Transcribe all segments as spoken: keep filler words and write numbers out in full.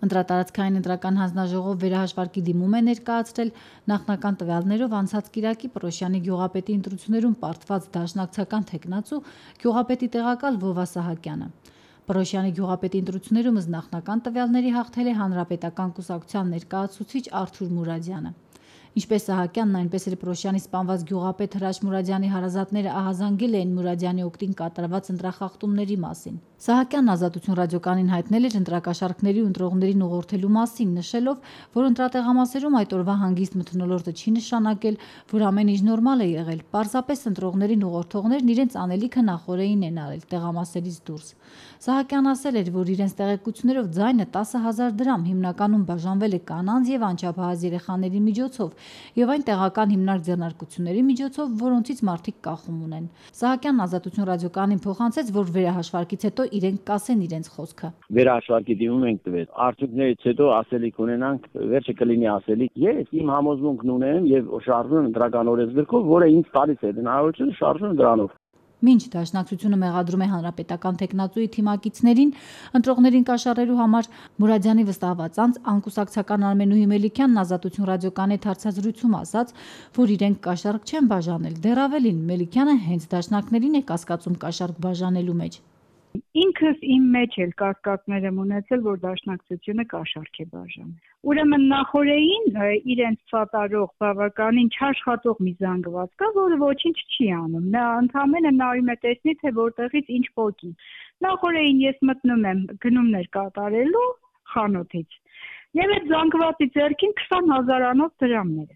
Ընտրատարածքային ընտրական հանձնաժողով վերահաշվարկի դիմում է ներկայացրել նախնական տվյալներով անցած կիրակի Պռոշյանի գյուղապետի ընտրություններում պարտված դաշնակցական թեկնածու գյուղապետի տեղակալ Վովա Սահակյանը։ Պռոշյանի գյուղապետի ընտրություններում ըստ նախնական տվյալների հաղթել է Հանրապետական կուսակցության ներկայացուցիչ Արթուր Մուրադյանը։ Ինչպես Սահակյանն, այնպես էլ Պռոշյանի սպանված գյուղապետ Հրաչ Մուրադյանի հարազատները ահազանգել էին Մուրադյանի օգտին կատարված ընտրախախտումների մասին։ Սահակյանն Ազատություն ռադիոկայանին հայտնել էր ընտրակաշառքների ու ընտրողներին ուղղորդելու մասին, նշելով, որ ընտրատեղամասերում այդ օրվա հանգիստ մթնոլորտը չի նշանակել, որ ամեն ինչ նորմալ է եղել, պարզապես ընտրողներին ուղղորդողներն իրենց անելիքը նախօրեին են արել տեղամասերից դուրս։ Սահակյանն ասել էր, որ իրենց տեղեկություններով ձայնը տասը հազար դրամ հիմնականում բաժանվել է կանանց եւ անչափահաս երեխաների միջոցով եւ այն տեղական հիմնարկ ձեռնարկությունների միջոցով, որոնցից մարդիկ կախում ունեն։ Սահակյանն Ազատություն ռադիոկայանին փոխանցեց, որ վերահաշվարկից հետո իրենք կասեն իրենց խոսքը։ Վերահաշվարկի դիմում ենք տվել։ Արդյունքներից հետո ասելիք ունենանք, վերջը կլինի ասելիք։ Ես իմ համոզմունքն ունեմ եւ շարժվում եմ ընտրական օրենսգրքով, որը ինձ տալիս է հնարավորություն շարժվում դրանով։ Մինչ դաշնակցությունը մեղադրում է հանրապետական թեկնածուի թիմակիցներին ընտրողներին կաշառելու համար, Մուրադյանի վստահված անձ անկուսակցական Արմենուհի Մելիքյանն Ազատություն ռադիոկայանի հետ հարցազրույցում ասաց, որ իրենք կաշառք չեն բաժանել, դեռ ավելին, Մելիքյանը հենց դաշնակներին է կասկածում կաշառք բաժանելու մեջ։ Ինքս իմ մեջ էլ կասկածներ եմ ունեցել, որ դաշնակցությունը կաշառք է բաժանել։ Ուրեմն նախօրեին իրենց սատարող բավականին չաշխատող մի զանգված կա, որը ոչինչ չի անում։ Նա ընդհանրապես նայում է տեսնի, թե որտեղից ինչ պոկի։ Նախօրեին ես մտնում եմ գնումներ կատարելու խանութից, եւ այդ զանգվածի ձեռքին քսան հազարանոց դրամներ։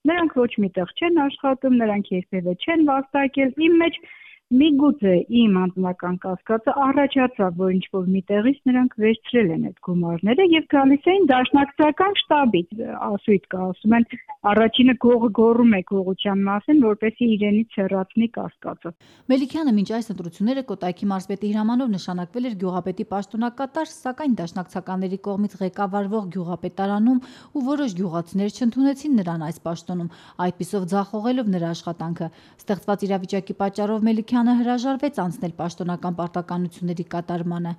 Նրանք ոչ միտեղ չեն աշխատում, նրանք երբևէ չեն վաստակել։ Իմ մեջ միգուցե իմ անձնական կասկածը առաջացավ, որ ինչ-որ միտեղից նրանք վերցրել են այդ գումարները եւ գալիս էին դաշնակցական շտաբից, ասույթ կա, ասում են առաջինը գողը գոռում է գողության մասին, որպեսզի իրենից հեռացնի կասկածը։ Մելիքյանը մինչ այս ընտրությունները Կոտայքի մարզպետի հրամանով նշանակվել էր գյուղապետի պաշտոնակատար, սակայն դաշնակցականների կողմից ղեկավարվող գյուղապետարանում ու որոշ գյուղացիներ չընդունեցին նրան այս պաշտոնում, այդպիսով ձախողելով նրա աշխատանքը։ Ստեղծված իրավիճակի պատճառով Մելիքյանը հրաժարվեց անցնել պաշտոնական պարտականությունների կատարմանը։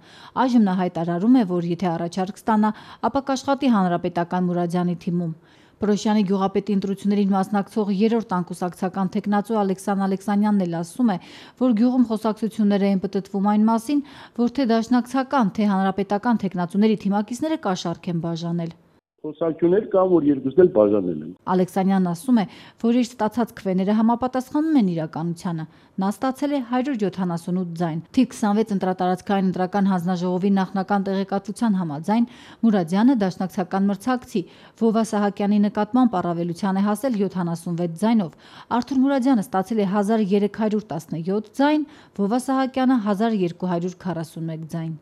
Այժմ նա հայտարարում է, որ եթե առաջարկ ստանա, ապա կաշխատի հանրապետական Մուրադյանի թիմում։ Պռոշյանի գյուղապետի ընտրություններին մասնակցող երրորդ անկուսակցական թեկնածու Ալեքսան Ալեքսանյանն էլ ասում է, որ գյուղում խոսակցություններ են պտտվում այն մասին, որ թե դաշնակցական, թե հանրապետական թեկնածուների թիմակիցները կաշառք են բաժանել։ Խոսակցություններ կան, որ երկուսն էլ բաժանել են։ Ալեքսանյանն ասում է, որ իր ստացած քվեները համապատասխանում են իրականությանը։ Նա ստացել է հարյուր յոթանասունութ ձայն։ Թիվ քսանվեց ընտրատարածքային ընտրական հանձնաժողովի նախնական տեղեկատվության համաձայն Մուրադյանը դաշնակցական մրցակցի Վովա Սահակյանի նկատմամբ առավելության է հասել յոթանասունվեց ձայնով։ Արթուր Մուրադյանը ստացել է հազար երեք հարյուր տասնյոթ ձայն, Վովա Սահակյանը հազար երկու հարյուր քառասունմեկ ձայն։